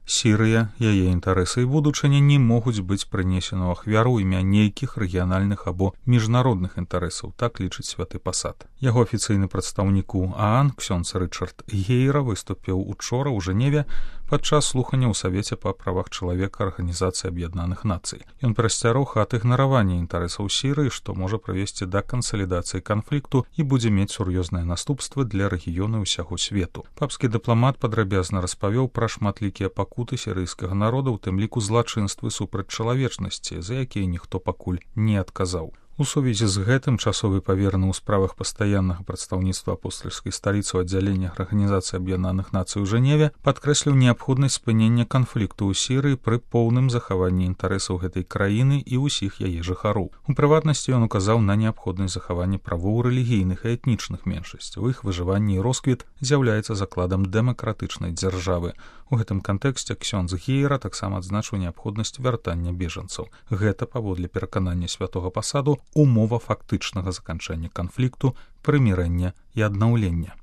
Сірыя, яе інтарэсы і будучыня не могуць быць прынесены ў ахвяру імя нейкіх рэгіянальных або міжнародных інтарэсаў, так лічыць святы пасад. Яго афіцыйны прадстаўнік у ААН ксёндз Рычард Гейра выступіў учора ў Жэневе падчас слухання ў Савеце па правах чалавека Арганізацыі Аб'яднаных Нацый. Ён прасцярог ад ігнаравання інтарэсаў Сірыі, што можа прывесці да кансалідацыі канфлікту і будзе мець сур'ёзныя наступствы для рэгіёну ўсяго свету. Папскі дыпламат падрабязна распавёў пра шматлікія пакуты сірыйскага народа, у тым ліку злачынствы супраць чалавечнасці, за якія ніхто пакуль не адказаў. У сувязі з гэтым часовы павераны ў справах пастаяннага прадстаўніцтва апостальскай сталіцы ў аддзяленнях Арганізацыі Аб'яднаных Нацый у Жэневе падкрэсліў неабходнасць спынення канфлікту ў Сірыі пры поўным захаванні інтарэсаў гэтай краіны і ўсіх яе жыхароў. У прыватнасці ён указаў на неабходнасць захавання правоў рэлігійных і этнічных меншасцяў. Іх выжыванне і росквіт з'яўляецца закладам дэмакратычнай дзяржавы. У гэтым кантэксце ксёндз Гейра таксама адзначыў неабходнасць вяртання бежанцаў. Гэта, паводле пераканання святога пасаду, умова фактычнага заканчэння канфлікту, прымірэння і аднаўлення.